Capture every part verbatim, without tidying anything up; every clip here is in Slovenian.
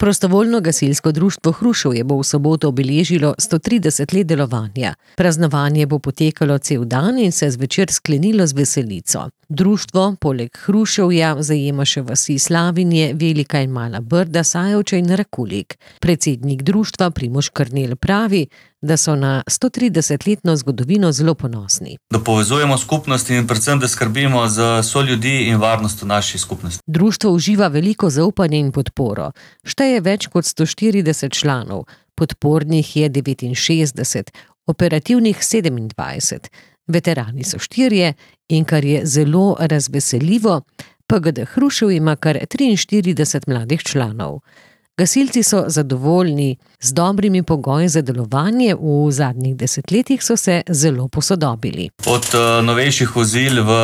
Prostovoljno gasilsko društvo Hruševje bo v soboto obeležilo sto trideset let delovanja. Praznovanje bo potekalo cel dan in se zvečer sklenilo z veselico. Društvo poleg Hruševja zajema še vasi Slavinje, Velika in Mala Brda, Sajovče in Rakulik. Predsednik društva Primož Krnel pravi, da so na stotridesetletno zgodovino zelo ponosni. Da povezujemo skupnosti in predvsem, da skrbimo za soljudi in varnost v naši skupnosti. Društvo uživa veliko zaupanje in podporo. Šteje več kot sto štirideset članov, podpornih je devetinšestdeset, operativnih sedemindvajset. Veterani so štirje in kar je zelo razveseljivo, P G D Hrušev ima kar triinštirideset mladih članov. Gasilci so zadovoljni z dobrimi pogoji za delovanje, v zadnjih desetletjih so se zelo posodobili. Od uh, novejših vozil v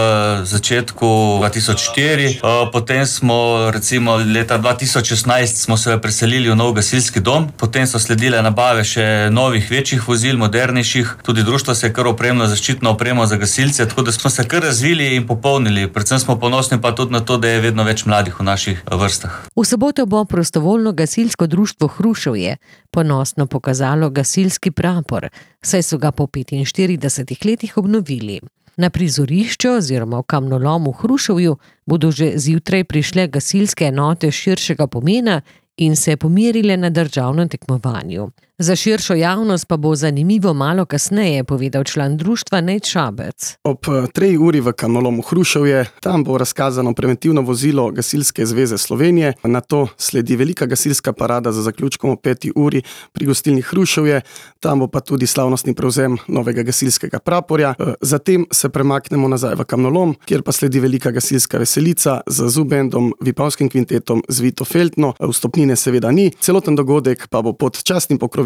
začetku dva tisoč štiri, uh, potem smo recimo leta dva tisoč šestnajst smo se preselili v nov gasilski dom, potem so sledile nabave še novih večjih vozil, modernejših, tudi društvo se je kar opremilo zaščitno opremo za gasilce, tako da smo se kar razvili in popolnili. Predvsem smo ponosni pa tudi na to, da je vedno več mladih v naših vrstah. V soboto bo prostovoljno gasilsko društvo Hruševje ponosno pokazalo gasilski prapor, saj so ga po petinštiridesetih letih obnovili. Na prizorišču oziroma v kamnolomu v Hruševju bodo že zjutraj prišle gasilske enote širšega pomena in se pomerile na državnem tekmovanju. Za širšo javnost pa bo zanimivo malo kasneje, povedal član društva Nejc Šabec. Ob trej uri v kamnolomu Hruševje, tam bo razkazano preventivno vozilo Gasilske zveze Slovenije, nato sledi velika gasilska parada za zaključkom ob peti uri pri gostilni Hruševje, tam bo pa tudi slavnostni prevzem novega gasilskega praporja. Zatem se premaknemo nazaj v kamnolom, kjer pa sledi velika gasilska veselica z zubendom, vipavskim kvintetom, z Vito Feltno, vstopnine seveda ni, celoten dogodek pa bo pod častnim pokroviteljem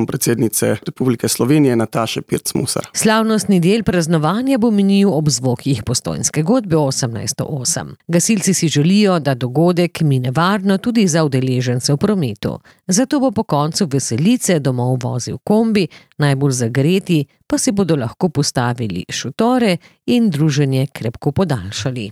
predsednice Republike Slovenije Nataše Pirc-Musar. Slavnostni del praznovanja bo minil ob zvokih Postojnske godbe osemnajststo osem. Gasilci si želijo, da dogodek mine varno tudi za udeležence v prometu. Zato bo po koncu veselice domov vozil kombi, najbolj zagreti pa si bodo lahko postavili šotore in druženje krepko podaljšali.